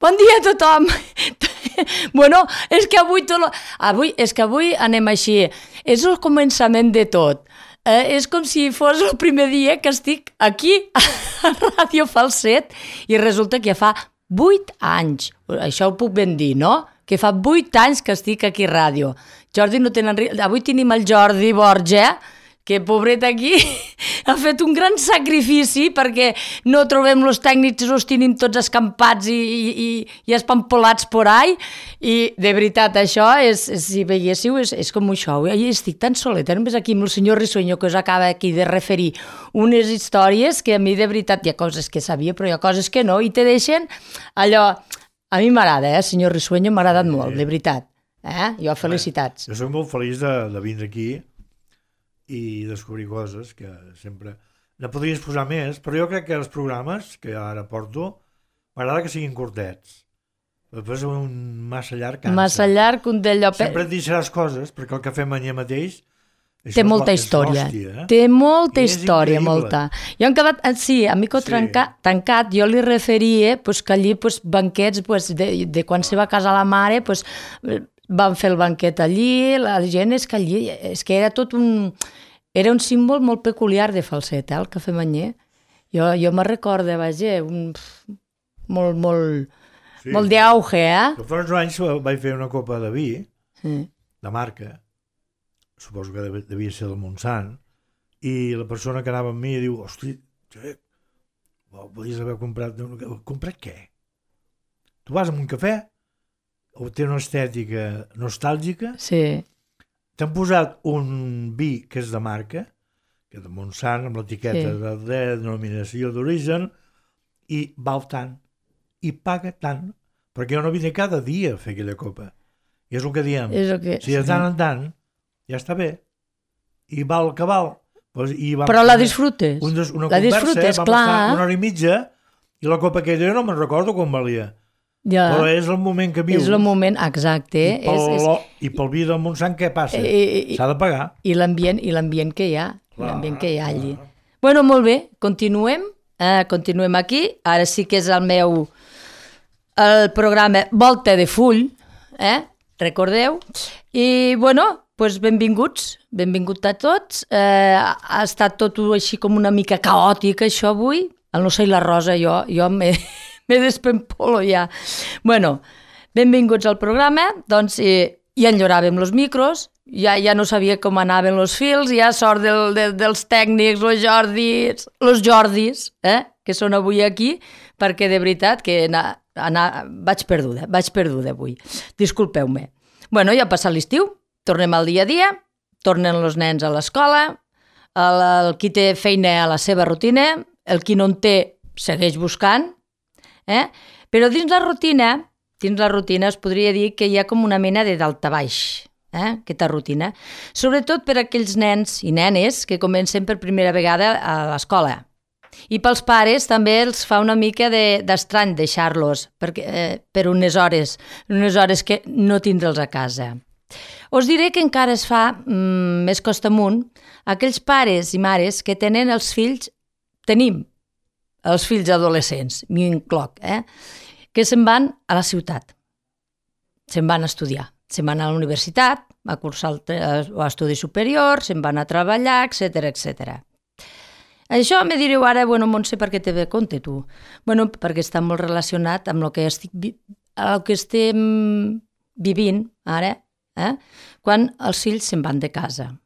Bon dia a tothom! Bueno, és que avui anem així. És el començament de tot. És com si fos el primer dia que estic aquí a Ràdio Falset i resulta que ja fa 8 anys. Això ho puc ben dir, no? Que fa 8 anys que estic aquí a ràdio. Jordi no tenen... Avui tenim el Jordi Borja, que pobret aquí ha fet un gran sacrifici perquè no trobem els tècnics, els tenim tots escampats i espampolats por ahí, i de veritat això, si veiéssiu, és com això. Estic tan soleta, només aquí amb el senyor Risueño, que us acaba aquí de referir unes històries que a mi de veritat hi ha coses que sabia, però hi ha coses que no, i te deixen allò... A mi m'agrada, senyor Risueño, m'ha agradat molt, de veritat. Jo, felicitats. Jo soc molt feliç de vindre aquí i descobrir coses que sempre... No podries posar més, però jo crec que els programes que ara porto m'agrada que siguin curtets. Després un massa llarg cansa. Massa llarg, un d'allò... Sempre et deixaràs coses, perquè el que fem allà mateix... Té molta història. Té molta història, molta. Jo hem quedat, sí, a Mico tancat, jo li referia que allí banquets de quan se va casar la mare, van fer el banquet allí, la gent és que allí, és que era tot un... Era un símbol molt peculiar de Falset, el cafè manyer. Jo me'n recordo, vaja, molt d'auge, Fa uns anys vaig fer una copa de vi, de marca, suposo que devia ser del Montsant, i la persona que anava amb mi diu, hosti, podies haver comprat... Comprat què? Tu vas a un cafè, o té una estètica nostàlgica, sí. T'han posat un vi que és de marca, que és de Montsant, amb l'etiqueta de denominació d'origen, i val tant, i paga tant, perquè jo no vine cada dia a fer aquella copa. I és el que diem. Si de tant en tant, ja està bé. I val el que val. Però la disfrutes. Una la disfrutes, vam clar. estar una hora i mitja, i la copa aquella jo no me'n recordo com valia. Ja. Però és el moment que vius. És el moment, exacte. I pel vi del Montsant què passa? S'ha de pagar. I l'ambient que hi ha. L'ambient que hi ha allí. Bueno, molt bé, continuem. Continuem aquí. Ara sí que és el programa Volta de Full, recordeu? I, bueno, benvinguts a tots. Ha estat tot així com una mica caòtic, això avui. El no sé la Rosa, jo m'he despempolo ja. Bueno, benvinguts al programa. Doncs ja enlloràvem els micros, ja no sabia com anaven els fils, ja sort dels tècnics, els Jordis, que són avui aquí, perquè de veritat que vaig perduda avui. Disculpeu-me. Bueno, ja ha passat l'estiu, tornem al dia a dia, tornen els nens a l'escola, el qui té feina a la seva rutina, el qui no en té segueix buscant, però dins la rutina es podria dir que hi ha com una mena de daltabaix, aquesta rutina, sobretot per aquells nens i nenes que comencen per primera vegada a l'escola. I pels pares també els fa una mica d'estrany deixar-los per unes hores que no tindre'ls a casa. Us diré que encara es fa més costa amunt aquells pares i mares que tenim els fills adolescents, m'hi incloc, que se'n van a la ciutat, se'n van a estudiar, se'n van a la universitat, a cursar estudis superiors, se'n van a treballar, etc. Això me direu ara, bueno, Montse, per què te ve compte tu? Bueno, perquè està molt relacionat amb el que estem vivint ara, quan els fills se'n van de casa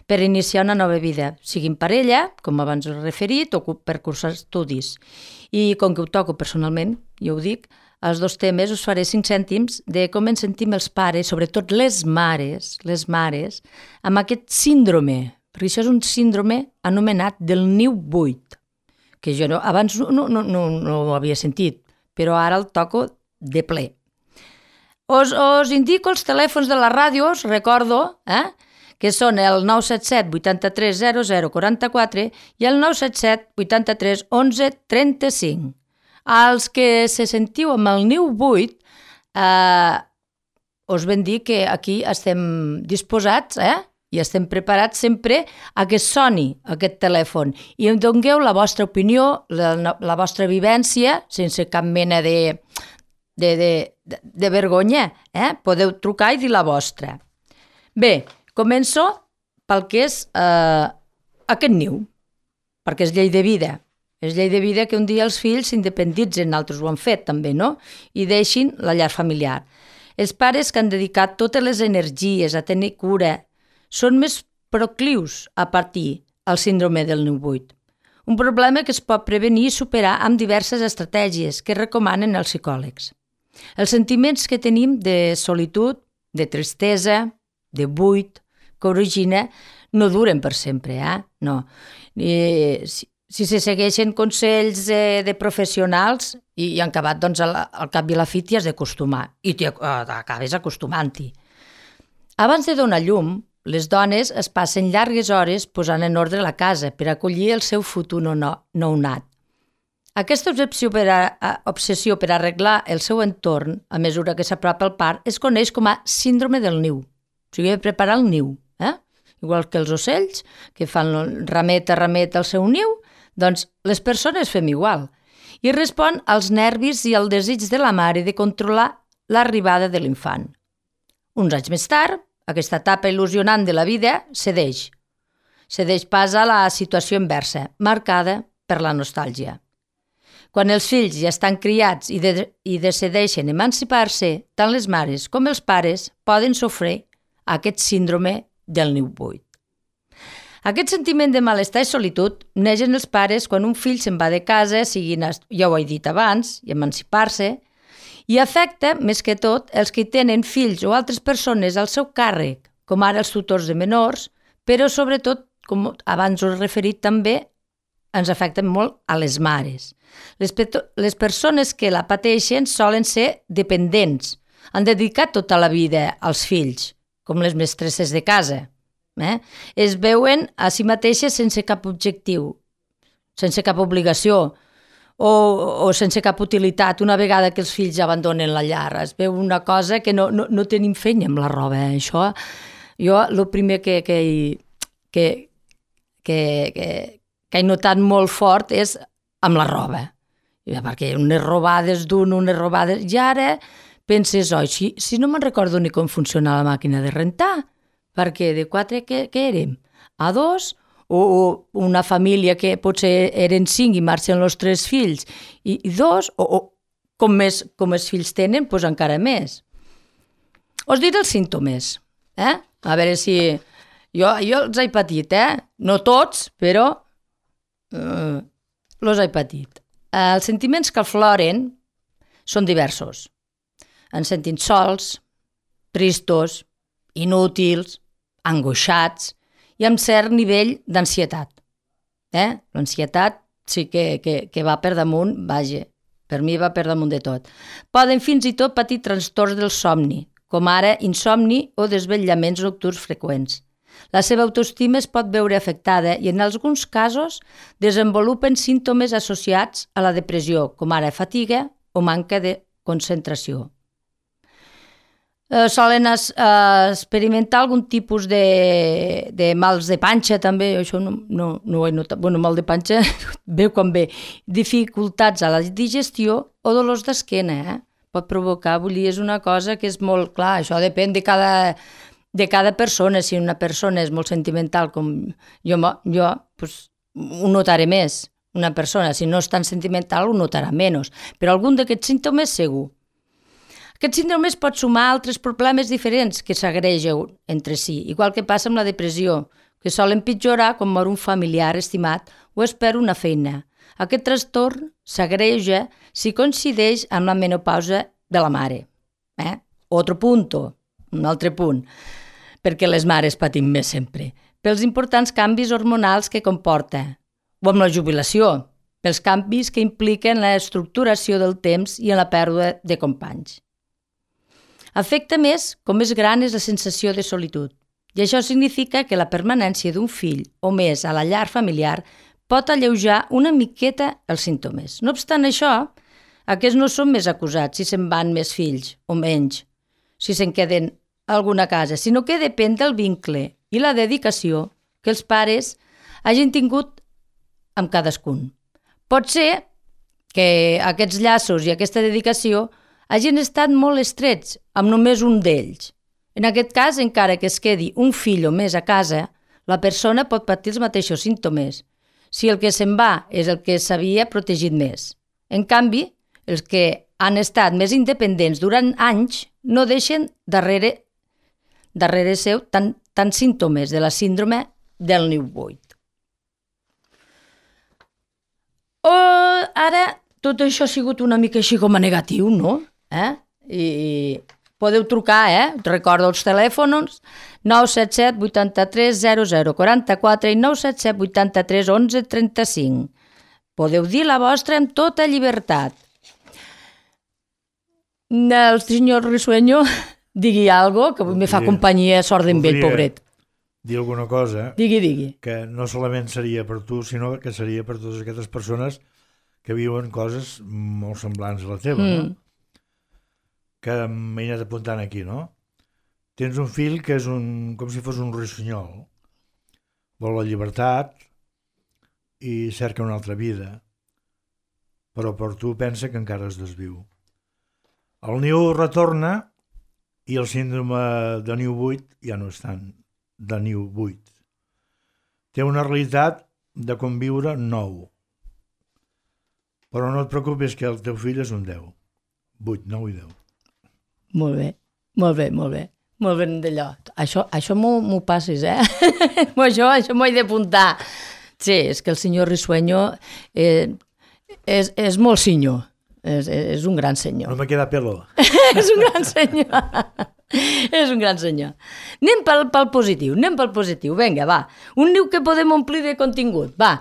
per iniciar una nova vida, sigui en parella, com abans us he referit, o per cursar estudis. I com que ho toco personalment, jo ho dic, als 2 temes us faré 5 cèntims de com ens sentim els pares, sobretot les mares, amb aquest síndrome, perquè això és un síndrome anomenat del niu buit, que jo abans no ho havia sentit, però ara el toco de ple. Us indico els telèfons de la ràdio, us recordo, que són el 977 83 00 44 i el 977 83 11 35. Els que se sentiu amb el niu buit, us ben dir que aquí estem disposats, i estem preparats sempre a que soni aquest telèfon i em dongueu la vostra opinió, la vostra vivència, sense cap mena de vergonya. Podeu trucar i dir la vostra. Bé, començo pel que és aquest niu, perquè és llei de vida. És llei de vida que un dia els fills s'independitzen, altres ho han fet també, no? I deixin la llar familiar. Els pares que han dedicat totes les energies a tenir cura són més proclius a patir el síndrome del niu buit. Un problema que es pot prevenir i superar amb diverses estratègies que recomanen els psicòlegs. Els sentiments que tenim de solitud, de tristesa, de buit, que origina, no duren per sempre, no. Si se segueixen consells de professionals i han acabat, doncs, al cap i a la fi t'hi has d'acostumar i t'acabes acostumant-hi. Abans de donar llum, les dones es passen llargues hores posant en ordre la casa per acollir el seu futur nounat. Aquesta obsessió per arreglar el seu entorn a mesura que s'apropa el part es coneix com a síndrome del niu. O sigui, preparar el niu. Igual que els ocells, que fan ramet a ramet al seu niu, doncs les persones fem igual. I respon als nervis i al desig de la mare de controlar l'arribada de l'infant. Uns anys més tard, aquesta etapa il·lusionant de la vida cedeix. Cedeix pas a la situació inversa, marcada per la nostàlgia. Quan els fills ja estan criats i decideixen emancipar-se, tant les mares com els pares poden sofrir aquest síndrome del niu buit. Aquest sentiment de malestar i solitud neix en els pares quan un fill se'n va de casa, ja ho he dit abans, i emancipar-se, i afecta, més que tot, els que tenen fills o altres persones al seu càrrec, com ara els tutors de menors, però sobretot, com abans us he referit també, ens afecten molt a les mares. Les persones que la pateixen solen ser dependents, han dedicat tota la vida als fills, com les mestresses de casa. Es veuen a si mateixes sense cap objectiu, sense cap obligació o sense cap utilitat una vegada que els fills abandonen la llar. Es veu una cosa que no tenim fenya amb la roba. Això, jo el primer que he notat molt fort és amb la roba. Perquè unes robades unes robades... I ara penses, si no me'n recordo ni com funciona la màquina de rentar, perquè de 4 què érem? A 2? O una família que potser eren 5 i marxen els 3 fills i 2? O com més fills tenen, doncs encara més. Us diré els símptomes. A veure si... Jo els he patit, no tots, però els he patit. Els sentiments que afloren són diversos. Ens sentim sols, tristos, inútils, angoixats i amb cert nivell d'ansietat. L'ansietat sí que va per damunt, vaja, per mi va per damunt de tot. Poden fins i tot patir trastorns del somni, com ara insomni o desvetllaments nocturns freqüents. La seva autoestima es pot veure afectada i en alguns casos desenvolupen símptomes associats a la depressió, com ara fatiga o manca de concentració. Solen experimentar algun tipus de mals de panxa també, això no ho he notat, mal de panxa ve quan ve, dificultats a la digestió o dolors d'esquena, pot provocar, vull dir, és una cosa que és molt clar, això depèn de cada persona, si una persona és molt sentimental com jo doncs, ho notaré més, una persona si no és tan sentimental ho notarà menys, però algun d'aquests símptomes segur. Aquest síndrome es pot sumar a altres problemes diferents que s'agregen entre si, igual que passa amb la depressió, que sol empitjorar quan mor un familiar estimat o es perd una feina. Aquest trastorn s'agreja si coincideix amb la menopausa de la mare. Un altre punt, perquè les mares patim més sempre, pels importants canvis hormonals que comporta, o amb la jubilació, pels canvis que impliquen la estructuració del temps i en la pèrdua de companys. Afecta més com més gran és la sensació de solitud, i això significa que la permanència d'un fill o més a la llar familiar pot alleujar una miqueta els símptomes. No obstant això, aquests no són més acusats si se'n van més fills o menys, si se'n queden a alguna casa, sinó que depèn del vincle i la dedicació que els pares hagin tingut amb cadascun. Pot ser que aquests llaços i aquesta dedicació hagin estat molt estrets amb només un d'ells. En aquest cas, encara que es quedi un fill o més a casa, la persona pot patir els mateixos símptomes, si el que se'n va és el que s'havia protegit més. En canvi, els que han estat més independents durant anys no deixen darrere seu tant símptomes de la síndrome del niu buit. Ara, tot això ha sigut una mica així com a negatiu, no? I podeu trucar, recordo els telèfons 977 83 00 44 i 977 83 11 35. Podeu dir la vostra amb tota llibertat. El senyor Risueño digui algo, que avui me fa companyia, sort d'en ell, pobret. Dir alguna cosa Digui. Que no solament seria per tu, sinó que seria per totes aquestes persones que viuen coses molt semblants a la teva, no? Que m'he anat apuntant aquí, no? Tens un fill que és com si fos un ruixonyol. Vol la llibertat i cerca una altra vida, però per tu pensa que encara es desviu. El niu retorna i el síndrome de niu buit ja no és tant de niu buit. Té una realitat de conviure nou. Però no et preocupis que el teu fill és un 10. 8, 9 i 10. Molt bé. Molt ben d'allò. Això m'ho passis, això m'ho he d'apuntar. Sí, és que el senyor Risueño és molt senyor. És un gran senyor. No me queda pelo. És un gran senyor. És un gran senyor. Anem pel positiu. Vinga, va. Un niu que podem omplir de contingut. Va.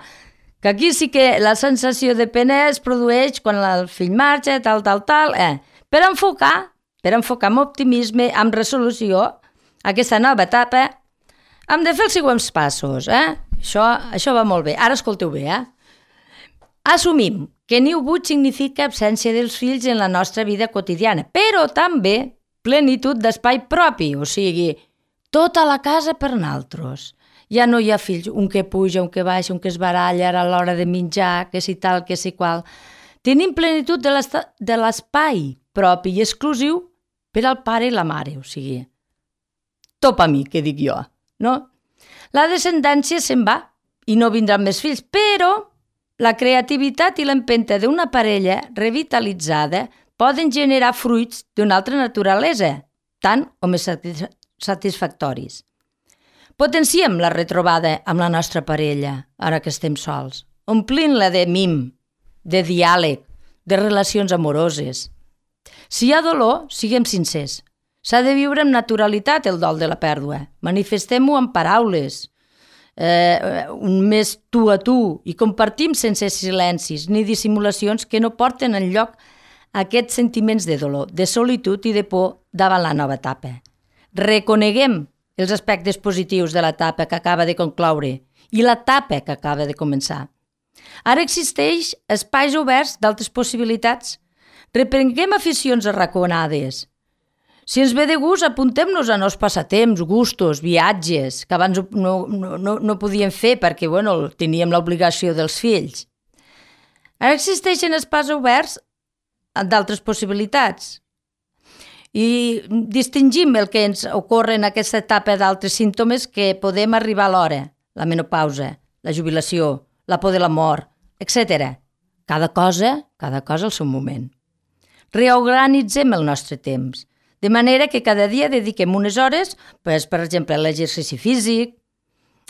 Que aquí sí que la sensació de pena es produeix quan el fill marxa, tal. Per enfocar amb optimisme, amb resolució, aquesta nova etapa, hem de fer els següents passos. Això va molt bé. Ara escolteu bé. Assumim que niu buit significa absència dels fills en la nostra vida quotidiana, però també plenitud d'espai propi, o sigui, tota la casa per naltros. Ja no hi ha fills, un que puja, un que baixa, un que es baralla a l'hora de menjar, que si tal, que si qual. Tenim plenitud de l'espai propi i exclusiu per al pare i la mare, o sigui, topa mi, que dic jo, no? La descendència se'n va i no vindran més fills, però la creativitat i l'empenta d'una parella revitalitzada poden generar fruits d'una altra naturalesa, tant o més satisfactoris. Potenciem la retrobada amb la nostra parella, ara que estem sols, omplint-la de mim, de diàleg, de relacions amoroses. Si hi ha dolor, siguem sincers. S'ha de viure amb naturalitat el dol de la pèrdua. Manifestem-ho amb paraules, un més tu a tu, i compartim sense silencis ni dissimulacions que no porten enlloc aquests sentiments de dolor, de solitud i de por davant la nova etapa. Reconeguem els aspectes positius de l'etapa que acaba de concloure i l'etapa que acaba de començar. Ara existeix espais oberts d'altres possibilitats. Reprenguem aficions arraconades. Si ens ve de gust, apuntem-nos a nous passatemps, gustos, viatges, que abans no podíem fer perquè teníem l'obligació dels fills. Ara existeixen espais oberts d'altres possibilitats. I distingim el que ens ocorre en aquesta etapa d'altres símptomes que podem arribar a l'hora, la menopausa, la jubilació, la por de la mort, etc. Cada cosa al seu moment. Reorganitzem el nostre temps, de manera que cada dia dediquem unes hores, per exemple, a l'exercici físic,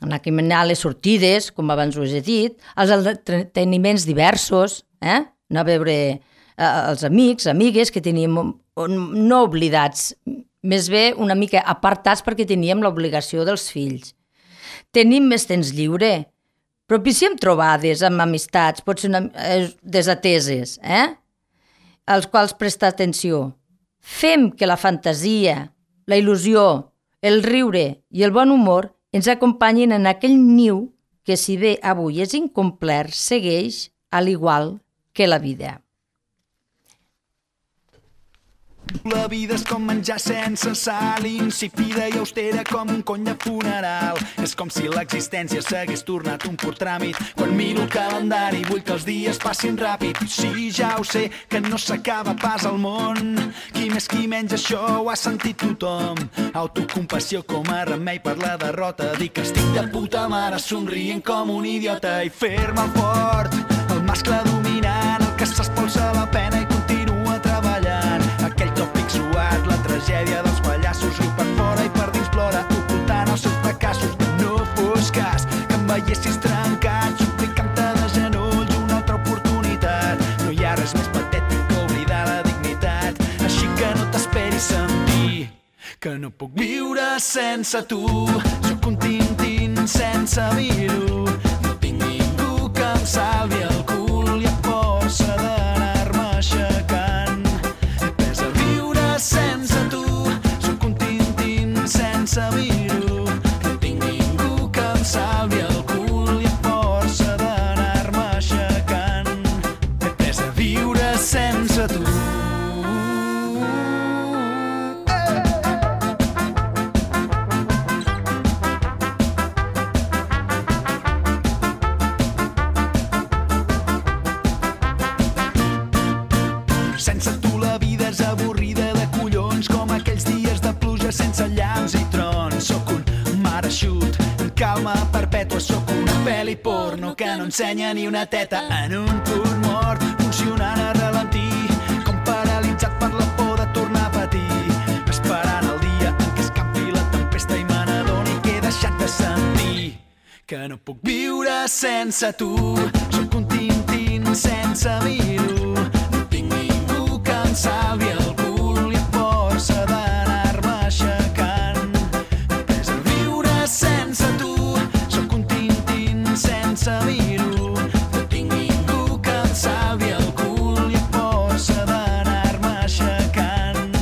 anar a caminar les sortides, com abans us he dit, als entreteniments diversos, anar a veure els amics, amigues que teníem no oblidats, més bé una mica apartats perquè teníem l'obligació dels fills. Tenim més temps lliure, propiciem trobades amb amistats, potser desateses, als quals prestar atenció. Fem que la fantasia, la il·lusió, el riure i el bon humor ens acompanyin en aquell niu que, si bé avui és incomplert, segueix al igual que la vida. La vida és com menjar sense sal, insípida i austera com un cony de funeral. És com si l'existència s'hagués tornat un pur tràmit. Quan miro el calendari vull que els dies passin ràpid. Sí, ja ho sé, que no s'acaba pas al món. Qui més qui menys això ho ha sentit tothom. Autocompassió com a remei per la derrota. Dic que estic de puta mare somrient com un idiota i fer-me el fort, el mascle dominant, el que s'espolsa la pena i continua treballant. Aquell tòpic suat, la tragèdia dels pallassos, riu per fora i per dins plora, ocultant els seus fracassos. Que no fos cas que em veiessis trencat, suplicant-te de genolls una altra oportunitat. No hi ha res més patètic que oblidar la dignitat, així que no t'esperis sentir que no puc viure sense tu. Sóc un tintín sense vir-ho, no tinc ningú que em salvi el cul i a força d'anar-me aixecant he pres a viure sense tu. Sóc un tintín sense vir-ho, no tinc ningú que em salvi el cul i a força d'anar-me aixecant he pres a viure sense tu. Sense tu la vida és avorrida de collons, com aquells dies de pluja sense llamps i trons. Sóc un mar eixut, en calma perpètua, sóc una pel·li porno que no ensenya ni una teta en un punt mort, funcionant a ralentí, com paralitzat per la por de tornar a patir, esperant el dia en què escampi la tempesta i me n'adoni que he deixat de sentir que no puc viure sense tu. Sóc un tintín sense vir-ho, no tinc ningú que em salvi el cul i a força d'anar-me aixecant he pres a viure sense tu. Sóc un tintín sense vir-ho, no tinc ningú que em salvi el cul i a força d'anar-me aixecant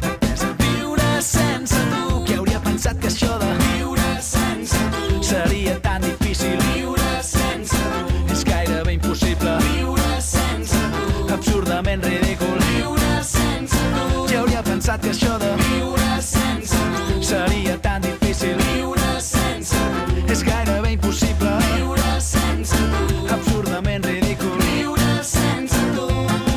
he pres a viure sense tu. Qui hauria pensat que això de viure sense tu seria tan difícil? Viure sense tu és gairebé impossible. Viure sense tu absurdament ridícul. Viure sense tu. Qui hauria pensat que això de viure sense tu seria tan difícil? Viure sense tu és gairebé impossible. Viure sense tu absurdament ridícul. Viure sense tu.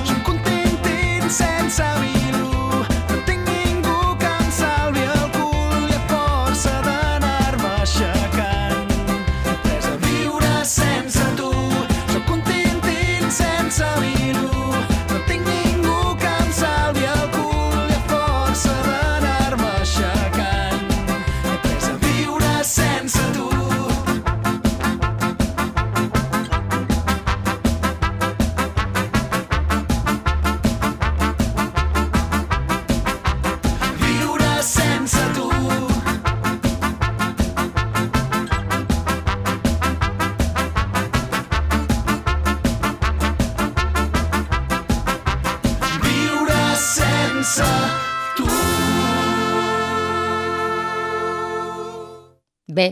Sóc un tintín sense vir-ho, no tinc ningú que em salvi el cul i a força d'anar-me aixecant he pres a viure sense tu. Sóc un tintín sense vir-ho, no tinc ningú que em salvi el cul i a força d'anar-me aixecant he pres a viure sense tu. Viure sense tu. Viure sense tu. Bé,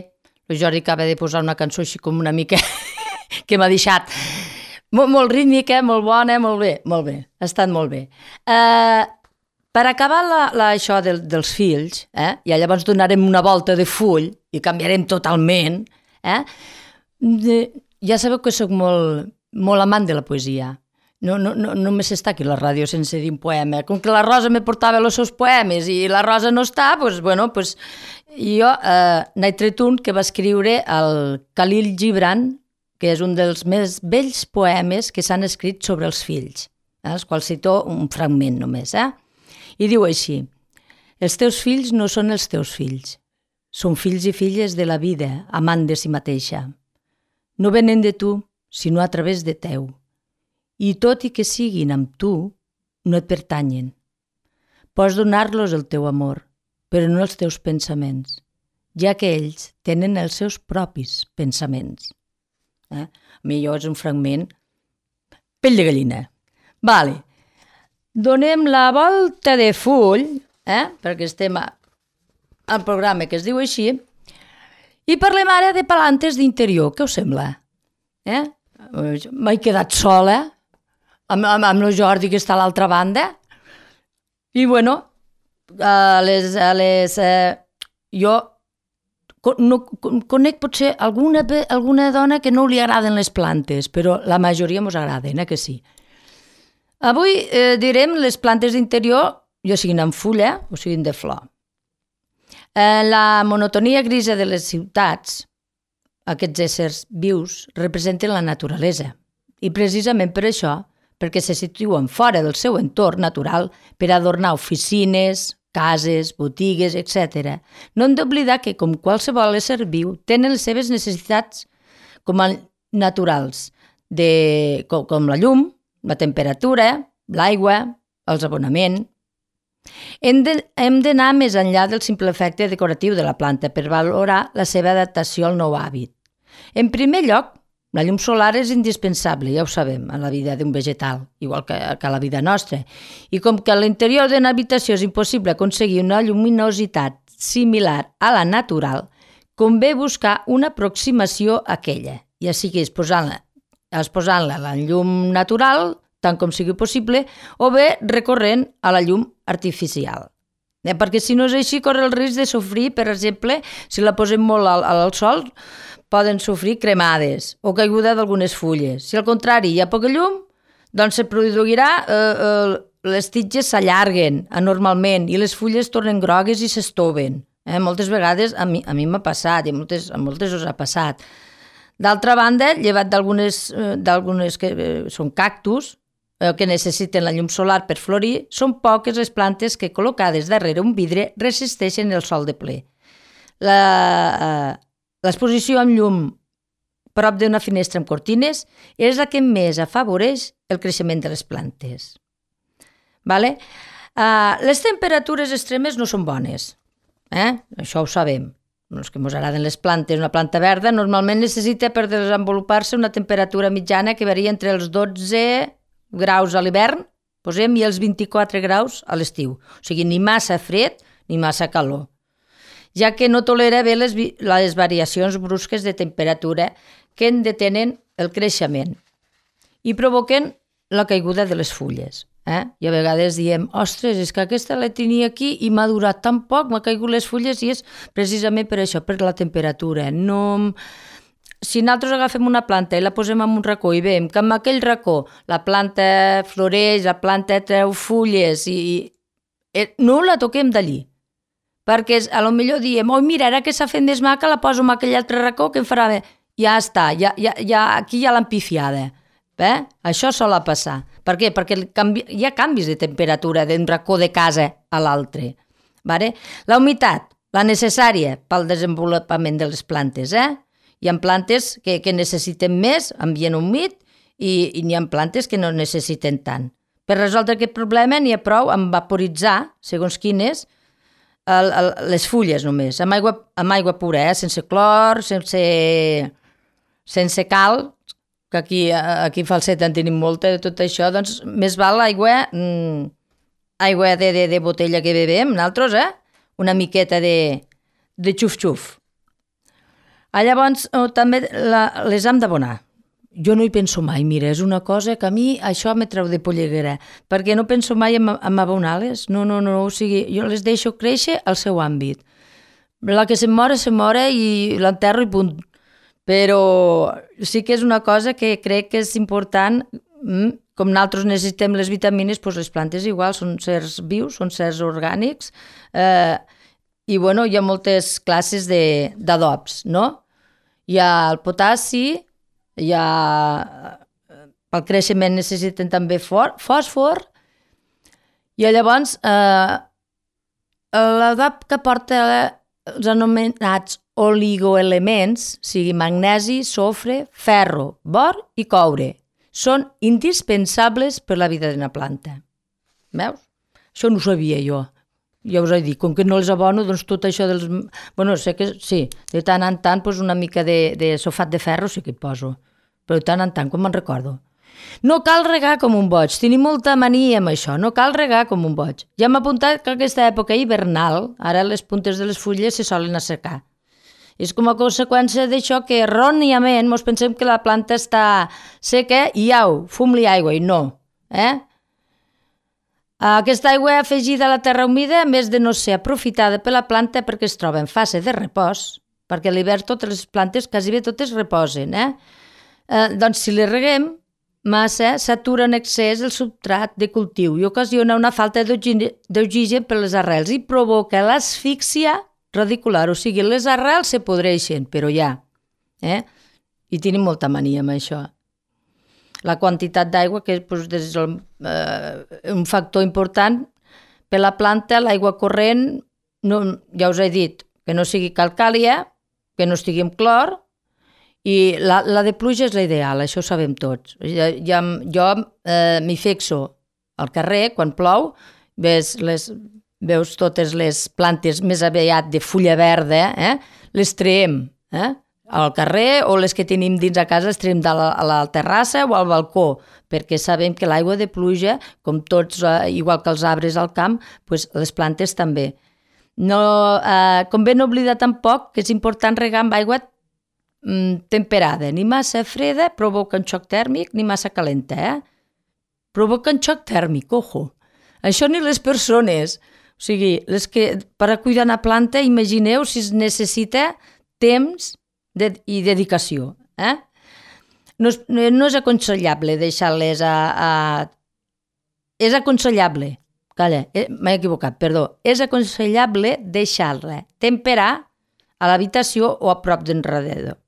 el Jordi acaba de posar una cançó així com una mica que m'ha deixat molt rítmica, molt bona, molt bé, ha estat molt bé. Per acabar això dels fills, i llavors donarem una volta de full i canviarem totalment, ja sabeu que sóc molt amant de la poesia. No només està aquí a la ràdio sense dir un poema. Com que la Rosa me portava els seus poemes i la Rosa no està, doncs jo n'he tret un que va escriure el Khalil Gibran, que és un dels més bells poemes que s'han escrit sobre els fills, els quals cito un fragment només. I diu així: els teus fills no són els teus fills, són fills i filles de la vida, amant de si mateixa. No venen de tu, sinó a través de teu. I tot i que siguin amb tu, no et pertanyen. Pots donar-los el teu amor, però no els teus pensaments, ja que ells tenen els seus propis pensaments. A mi allò és un fragment pell de gallina. Vale. Donem la volta de full, perquè estem al programa que es diu així, i parlem ara de palantes d'interior. Què us sembla? M'he quedat sola amb el Jordi que està a l'altra banda. I bueno, jo conec potser alguna dona que no li agraden les plantes, però la majoria mos agraden, que sí. Avui direm les plantes d'interior, ja siguin en fulla o siguin de flor. La monotonia grisa de les ciutats, aquests éssers vius, representen la naturalesa. I precisament per això, perquè se situen fora del seu entorn natural per adornar oficines, cases, botigues, etc. No hem d'oblidar que, com qualsevol ésser viu, tenen les seves necessitats com a naturals, com la llum, la temperatura, l'aigua, els abonaments. Hem d'anar més enllà del simple efecte decoratiu de la planta per valorar la seva adaptació al nou hàbit. En primer lloc, la llum solar és indispensable, ja ho sabem, en la vida d'un vegetal, igual que a la vida nostra. I com que a l'interior d'una habitació és impossible aconseguir una lluminositat similar a la natural, convé buscar una aproximació a aquella, ja sigui exposant-la a la llum natural, tant com sigui possible, o bé recorrent a la llum artificial. Perquè si no és així, corre el risc de sofrir, per exemple, si la posem molt al sol, poden sofrir cremades o caiguda d'algunes fulles. Si al contrari hi ha poca llum, doncs se produirà, les tiges s'allarguen anormalment i les fulles tornen grogues i s'estoven. Moltes vegades a mi m'ha passat i a moltes us ha passat. D'altra banda, llevat d'algunes que són cactus, que necessiten la llum solar per florir, són poques les plantes que, col·locades darrere un vidre, resisteixen el sol de ple. L'exposició amb llum prop d'una finestra amb cortines és la que més afavoreix el creixement de les plantes. Les temperatures extremes no són bones. Això ho sabem. Els que ens agraden les plantes, una planta verda normalment necessita per desenvolupar-se una temperatura mitjana que varia entre els 12 graus a l'hivern, i els 24 graus a l'estiu. O sigui, ni massa fred ni massa calor, ja que no tolera bé les variacions brusques de temperatura que en detenen el creixement i provoquen la caiguda de les fulles. I a vegades diem, ostres, és que aquesta la tenia aquí i m'ha durat tan poc, m'ha caigut les fulles, i és precisament per això, per la temperatura. Si nosaltres agafem una planta i la posem en un racó i veiem que en aquell racó la planta floreix, la planta treu fulles i no la toquem d'allí. Perquè potser diem, mira, ara que s'ha fet més maca la poso en aquell altre racó que em farà bé. Ja està, aquí hi ha l'empifiada. Això sol passar. Per què? Perquè hi ha canvis de temperatura d'un racó de casa a l'altre. La humitat, la necessària pel desenvolupament de les plantes. Hi ha plantes que necessiten més ambient humit i n'hi ha plantes que no necessiten tant. Per resoldre aquest problema n'hi ha prou amb vaporitzar, segons quines, les fulles només, amb aigua pura, sense clor, sense cal, que aquí a Falset en tenim molta de tot això, doncs més val aigua de botella que bevem, nosaltres, una miqueta de xuf-xuf. Llavors, també les hem d'abonar. Jo no hi penso mai, mira, és una cosa que a mi això me treu de polleguera, perquè no penso mai en abonar-les, no, o sigui, jo les deixo créixer al seu àmbit. La que se'm mora i l'enterro i punt. Però sí que és una cosa que crec que és important, com nosaltres necessitem les vitamines, doncs les plantes igual, són certs vius, són certs orgànics, i bueno, hi ha moltes classes d'adobs, no? Hi ha el potassi, pel creixement necessiten també fòsfor, i llavors l'adob que porta els anomenats oligoelements, sigui magnesi, sofre, ferro, bor i coure, són indispensables per la vida d'una planta. Veus? Això no ho sabia jo. Ja us he dit, com que no els abono, doncs tot això dels... Bueno, sé que sí, de tant en tant una mica de sulfat de ferro sí que hi poso, però de tant en tant, quan me'n recordo. No cal regar com un boig, tenim molta mania amb això, no cal regar com un boig. Ja m'ha apuntat que aquesta època hivernal, ara les puntes de les fulles se solen assecar. És com a conseqüència d'això que erròniament ens pensem que la planta està seca i fum-li aigua, i no. Aquesta aigua afegida a la terra humida, a més de no ser aprofitada per la planta perquè es troba en fase de repòs, perquè a l'hivern totes les plantes quasi bé totes reposen, doncs si les reguem massa, s'atura en excés el substrat de cultiu i ocasiona una falta d'oxigen per les arrels i provoca l'asfíxia radicular, o sigui, les arrels se podreixen, però ja, i tenim molta mania amb això. La quantitat d'aigua, que és un factor important per la planta, l'aigua corrent, ja us he dit, que no sigui calcàlia, que no estigui amb clor, i la de pluja és la ideal, això ho sabem tots. Jo m'hi fixo al carrer, quan plou, veus totes les plantes més aviat de fulla verda, les traiem al carrer, o les que tenim dins a casa les traiem a la terrassa o al balcó, perquè sabem que l'aigua de pluja, com tots, igual que els arbres al camp, les plantes també. Convé no oblidar tampoc que és important regar amb aigua temperada, ni massa freda provoca un xoc tèrmic, ni massa calenta, provoca un xoc tèrmic, ojo. Això ni les persones, o sigui, per a cuidar una planta, imagineu si es necessita temps i dedicació. No és aconsellable deixar-les És aconsellable, m'he equivocat, perdó, és aconsellable deixar-la temperar a l'habitació o a prop d'enredador.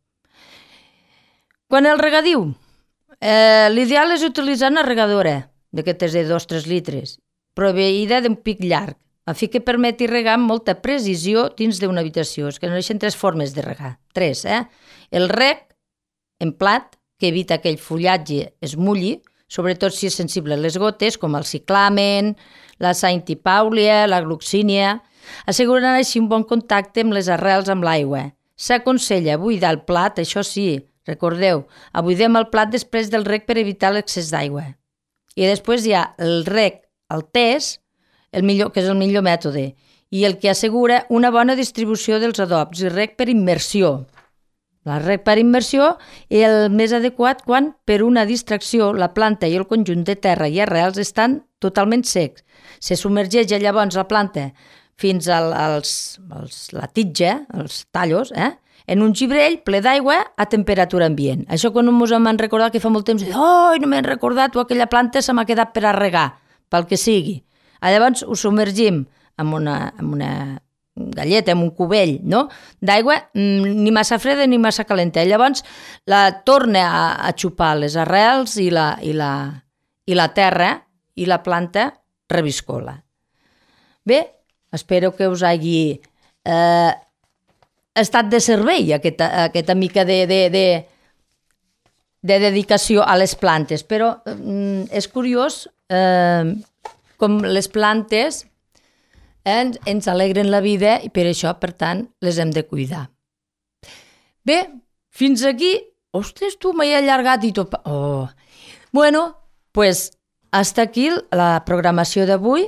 Quan el regadiu, l'ideal és utilitzar una regadora d'aquestes de 2-3 litres, proveïda d'un pic llarg, a fi que permeti regar amb molta precisió dins d'una habitació. Es coneixen 3 formes de regar. 3, El reg en plat, que evita que el fullatge es mulli, sobretot si és sensible a les gotes, com el ciclamen, la saintipàulia, la gloxínia, assegurant així un bon contacte amb les arrels amb l'aigua. S'aconsella buidar el plat, això sí, recordeu, buidem el plat després del reg per evitar l'excés d'aigua. I després hi ha el reg al test, que és el millor mètode, i el que assegura una bona distribució dels adobs, i reg per immersió. El reg per immersió és el més adequat quan, per una distracció, la planta i el conjunt de terra i arrels estan totalment secs. Se submergeix llavors la planta fins a la titja, els tallos, en un gibrell ple d'aigua a temperatura ambient. Això quan ens hem recordat que fa molt temps, no m'he recordat, o aquella planta se m'ha quedat per a regar, pel que sigui. Llavors ho submergim amb una galleta, amb un cubell d'aigua, ni massa freda ni massa calenta. Llavors la torna a xupar les arrels i la terra, i la planta reviscola. Bé, espero que us hagi estat de servei aquesta mica de dedicació a les plantes, però és curiós com les plantes ens alegren la vida i per això, per tant, les hem de cuidar. Bé, fins aquí. Ostres, tu m'he allargat i tot. Bueno, doncs, hasta aquí la programació d'avui.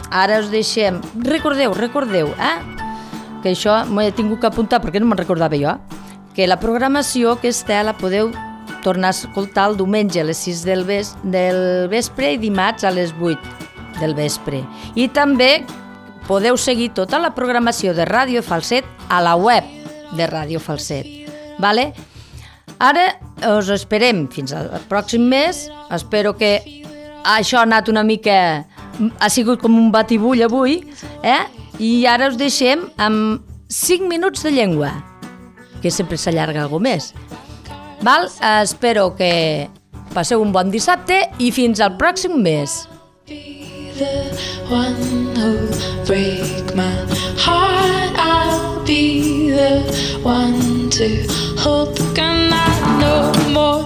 Ara us deixem. Recordeu, que això m'ho he tingut que apuntar perquè no me'n recordava jo, que la programació aquesta la podeu tornar a escoltar el diumenge a les 6 del vespre i dimarts a les 8 del vespre. I també podeu seguir tota la programació de Ràdio Falset a la web de Ràdio Falset. Vale? Ara us esperem fins al pròxim mes. Espero que això ha anat una mica... Ha sigut com un batibull avui, i ara us deixem amb 5 minuts de llengua, que sempre s'allarga alguna més. Val? Espero que passeu un bon dissabte i fins al pròxim mes. The one who'll break my heart, I'll be the one to hold the gun. I know more